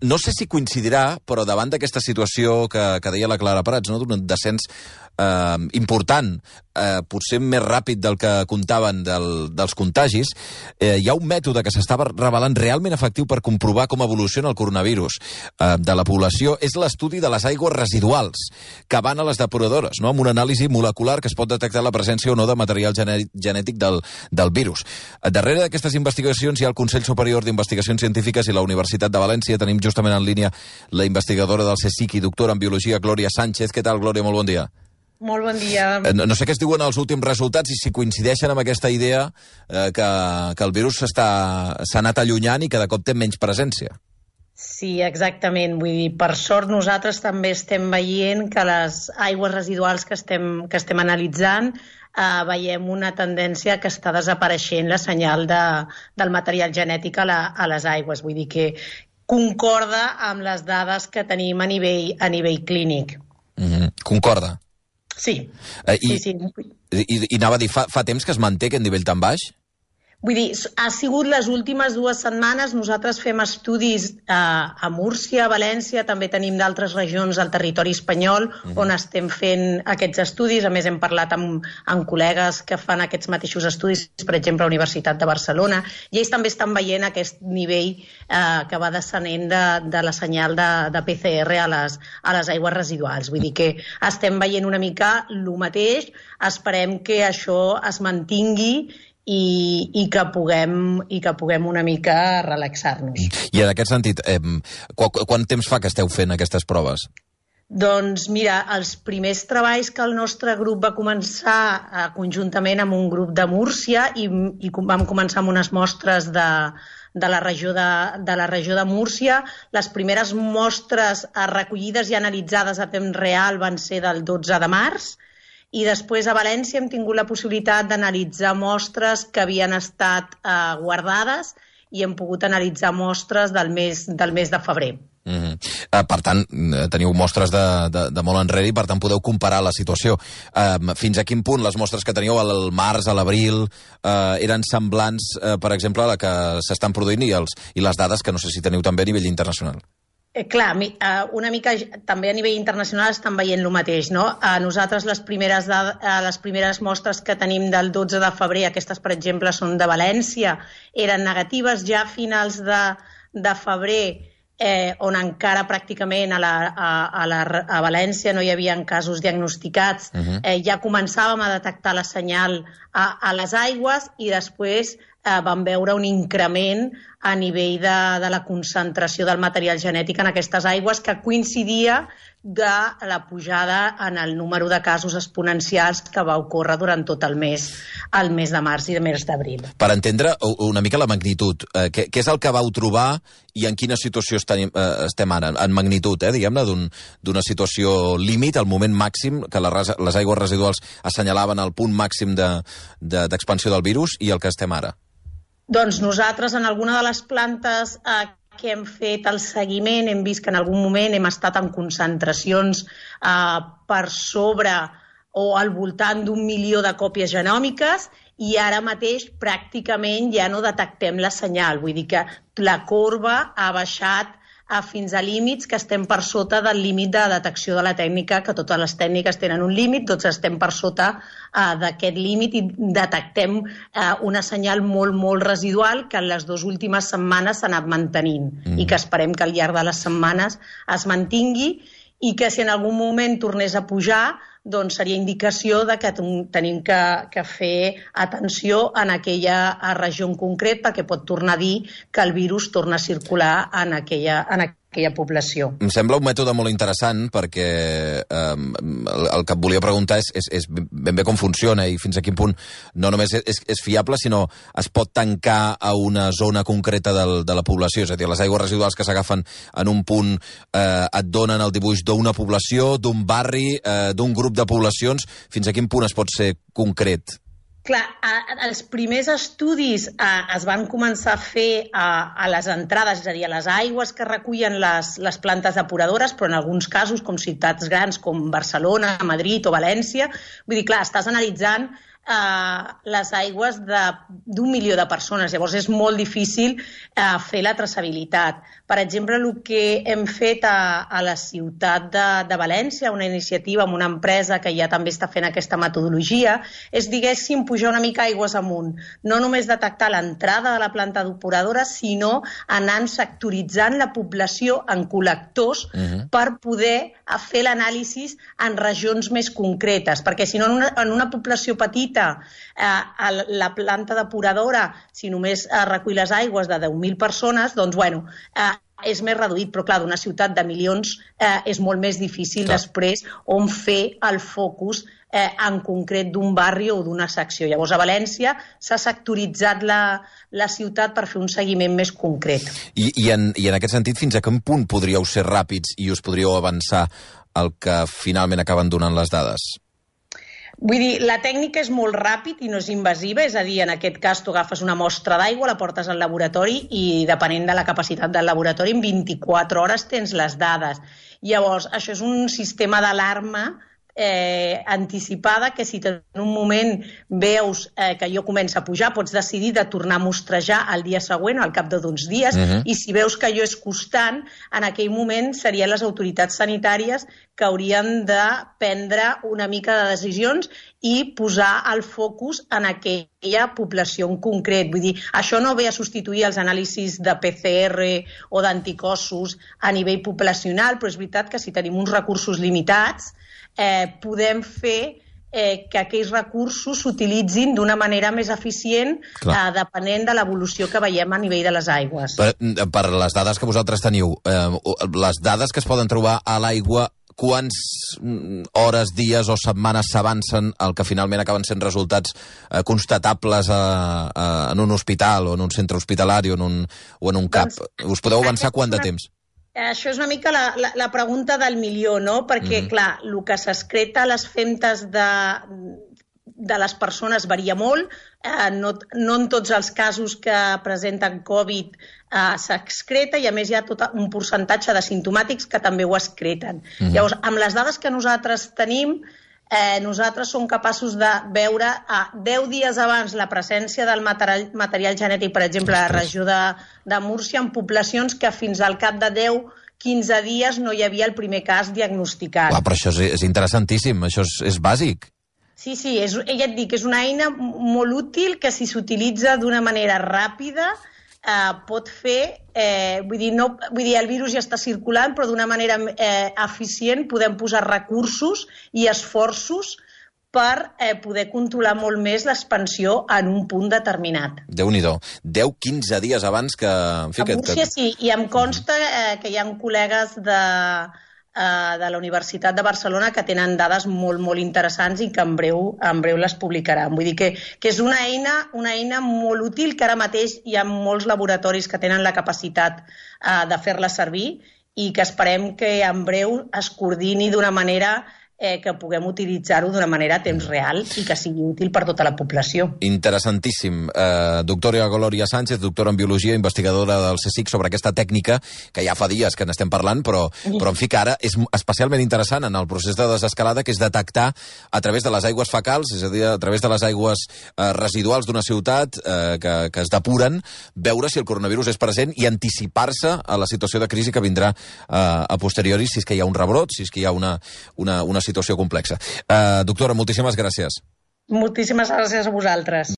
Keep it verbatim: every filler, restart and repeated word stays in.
no sé si coincidirà, però davant d'aquesta situació que, que deia la Clara Prats, no? D'un descens eh, important, eh, potser més ràpid del que comptaven del, dels contagis, eh, hi ha un mètode que s'estava revelant realment efectiu per comprovar com evoluciona el coronavirus eh, de la població. És l'estudi de les aigües residuals que van a les depuradores, no? Amb una anàlisi molecular que es pot detectar la presència o no de material genètic del, del virus. Darrere d'aquestes investigacions hi ha el Consell Superior d'Investigacions Científiques i la Universitat de València. Tenim justament en línia la investigadora del CSIC i doctora en Biologia, Glòria Sánchez. Què tal, Glòria? Molt bon dia. Molt bon dia. No, no sé què es diuen els últims resultats i si coincideixen amb aquesta idea eh, que, que el virus s'ha anat allunyant i que de cop té menys presència. Sí, exactament. Vull dir, per sort nosaltres també estem veient que les aigües residuals que estem, que estem analitzant eh, veiem una tendència que està desapareixent la senyal de, del material genètic a, la, a les aigües. Vull dir que concorda amb les dades que tenim a nivell, a nivell clínic. Mm-hmm. Concorda? Sí. Eh, i, sí, sí. I, i anava a dir, fa, fa temps que es manté aquest nivell tan baix? Vull dir, ha sigut les últimes dues setmanes, nosaltres fem estudis eh, a Múrcia, a València, també tenim d'altres regions del territori espanyol uh-huh. on estem fent aquests estudis. A més, hem parlat amb, amb col·legues que fan aquests mateixos estudis, per exemple, a la Universitat de Barcelona, i ells també estan veient aquest nivell eh, que va descenent de, de la senyal de, de P C R a les, a les aigües residuals. Vull dir que estem veient una mica el mateix, esperem que això es mantingui I, i, que puguem, i que puguem una mica relaxar-nos. I en aquest sentit, eh, qu quant temps fa que esteu fent aquestes proves? Doncs mira, els primers treballs que el nostre grup va començar eh, conjuntament amb un grup de Múrcia i, i vam començar amb unes mostres de, de, la regió de, de la regió de Múrcia. Les primeres mostres eh, recollides i analitzades a temps real van ser del dotze de març, i després a València hem tingut la possibilitat d'analitzar mostres que havien estat eh, guardades i hem pogut analitzar mostres del mes, del mes de febrer. Mm-hmm. uh, per tant, teniu mostres de, de, de molt enrere i per tant podeu comparar la situació. Uh, fins a quin punt les mostres que teníeu al març, a l'abril, uh, eren semblants, uh, per exemple, a la que s'estan produint i, els, i les dades que no sé si teniu també a nivell internacional? Eh, clar, una mica també a nivell internacional estan veient el mateix, no? A nosaltres les primeres, de, les primeres mostres que tenim del dotze de febrer, aquestes per exemple són de València, eren negatives. Ja a finals de, de febrer, eh, on encara pràcticament a, la, a, a, la, a València no hi havia casos diagnosticats, uh-huh. eh, ja començàvem a detectar la senyal a, a les aigües i després eh, vam veure un increment a nivell de, de la concentració del material genètic en aquestes aigües que coincidia de la pujada en el número de casos exponencials que va ocórrer durant tot el mes, el mes de març i el mes d'abril. Per entendre una mica la magnitud, eh, què, què és el que vau trobar i en quina situació estem, eh, estem ara? En magnitud, eh, diguem-ne, d'una un, situació límit, al moment màxim, que les, les aigües residuals assenyalaven el punt màxim d'expansió de, de, del virus i el que estem ara? Doncs nosaltres en alguna de les plantes eh, que hem fet el seguiment hem vist que en algun moment hem estat en concentracions eh, per sobre o al voltant d'un milió de còpies genòmiques i ara mateix pràcticament ja no detectem la senyal. Vull dir que la corba ha baixat a fins a límits que estem per sota del límit de detecció de la tècnica, que totes les tècniques tenen un límit, tots estem per sota uh, d'aquest límit i detectem uh, una senyal molt, molt residual que en les dues últimes setmanes s'ha anat mantenint mm. i que esperem que al llarg de les setmanes es mantingui i que si en algun moment tornés a pujar doncs seria indicació de que tenim que, que fer atenció en aquella regió en concret perquè pot tornar a dir que el virus torna a circular en aquella, en aquella població. Em sembla un mètode molt interessant perquè eh, el, el que et volia preguntar és, és, és ben bé com funciona i fins a quin punt no només és, és fiable, sinó es pot tancar a una zona concreta del, de la població. És a dir, les aigües residuals que s'agafen en un punt eh, et donen el dibuix d'una població, d'un barri, eh, d'un grup de poblacions. Fins a quin punt es pot ser concret? Clar, els primers estudis eh, es van començar a fer a, a les entrades, és a dir, a les aigües que recullen les, les plantes depuradores, però en alguns casos, com ciutats grans com Barcelona, Madrid o València, vull dir, clar, estàs analitzant eh, les aigües d'un milió de persones. Llavors és molt difícil eh, fer la traçabilitat. Per exemple, el que hem fet a, a la ciutat de, de València, una iniciativa amb una empresa que ja també està fent aquesta metodologia, és, diguéssim, pujar una mica aigües amunt. No només detectar l'entrada de la planta depuradora, sinó anant sectoritzant la població en col·lectors uh-huh. per poder fer l'anàlisi en regions més concretes, perquè si no en una, en una població petita eh, la planta depuradora, si només eh, recull les aigües de deu mil persones, doncs bueno, eh, és més reduït, però clar, d'una ciutat de milions eh, és molt més difícil clar. Després on fer el focus eh, en concret d'un barri o d'una secció. Llavors a València s'ha sectoritzat la, la ciutat per fer un seguiment més concret. I, i, en, I en aquest sentit, fins a quin punt podríeu ser ràpids i us podríeu avançar el que finalment acaben donant les dades? Vull dir, la tècnica és molt ràpid i no és invasiva, és a dir, en aquest cas tu agafes una mostra d'aigua, la portes al laboratori i depenent de la capacitat del laboratori en vint-i-quatre hores tens les dades. Llavors, això és un sistema d'alarma eh, anticipada que si en un moment veus eh, que allò comença a pujar, pots decidir de tornar a mostrejar el dia següent o al cap d'uns dies uh-huh. i si veus que allò és constant, en aquell moment serien les autoritats sanitàries que haurien de prendre una mica de decisions i posar el focus en aquella població en concret. Vull dir, això no ve a substituir els anàlisis de P C R o d'anticossos a nivell poblacional, però és veritat que si tenim uns recursos limitats eh, podem fer eh, que aquells recursos s'utilitzin d'una manera més eficient eh, depenent de l'evolució que veiem a nivell de les aigües. Per, per les dades que vosaltres teniu, eh, les dades que es poden trobar a l'aigua, quants hores, dies o setmanes s'avancen el que finalment acaben sent resultats eh, constatables a, a, en un hospital o en un centre hospitalari o en un, o en un CAP? Doncs, us podeu avançar quant de temps? Això és una mica la, la, la pregunta del milió, no? Perquè, mm-hmm. clar, el que s'excreta a les femtes de, de les persones varia molt. Eh, no, no en tots els casos que presenten Covid eh, s'excreta i, a més, hi ha tot un percentatge de simptomàtics que també ho excreten. Mm-hmm. Llavors, amb les dades que nosaltres tenim, eh, nosaltres som capaços de veure a deu dies abans la presència del material, material genètic, per exemple, a la regió de, de Múrcia, en poblacions que fins al cap de deu quinze dies no hi havia el primer cas diagnosticat. Clar, però això és, és interessantíssim, això és, és bàsic. Sí, sí, és, ja et dic, és una eina molt útil que si s'utilitza d'una manera ràpida eh, pot fer, eh, vull dir, no, vull dir, el virus ja està circulant, però d'una manera eh, eficient podem posar recursos i esforços per eh, poder controlar molt més l'expansió en un punt determinat. Déu-n'hi-do. deu a quinze dies abans que... En fi, a Múrcia que... sí, i em consta eh, que hi ha col·legues de... de la Universitat de Barcelona que tenen dades molt, molt interessants i que en breu, en breu les publicaran. Vull dir que, que és una eina, una eina molt útil que ara mateix hi ha molts laboratoris que tenen la capacitat uh, de fer-la servir i que esperem que en breu es coordini d'una manera eh, que puguem utilitzar-ho d'una manera a temps real i que sigui útil per tota la població. Interessantíssim. Uh, doctora Glòria Sánchez, doctora en Biologia, investigadora del CSIC, sobre aquesta tècnica, que ja fa dies que n'estem parlant, però, però en fi que ara és especialment interessant en el procés de desescalada, que és detectar a través de les aigües fecals, és a dir, a través de les aigües uh, residuals d'una ciutat uh, que, que es depuren, veure si el coronavirus és present i anticipar-se a la situació de crisi que vindrà uh, a posteriori, si és que hi ha un rebrot, si és que hi ha una, una, una situació complexa. Uh, doctora, moltíssimes gràcies. Moltíssimes gràcies a vosaltres.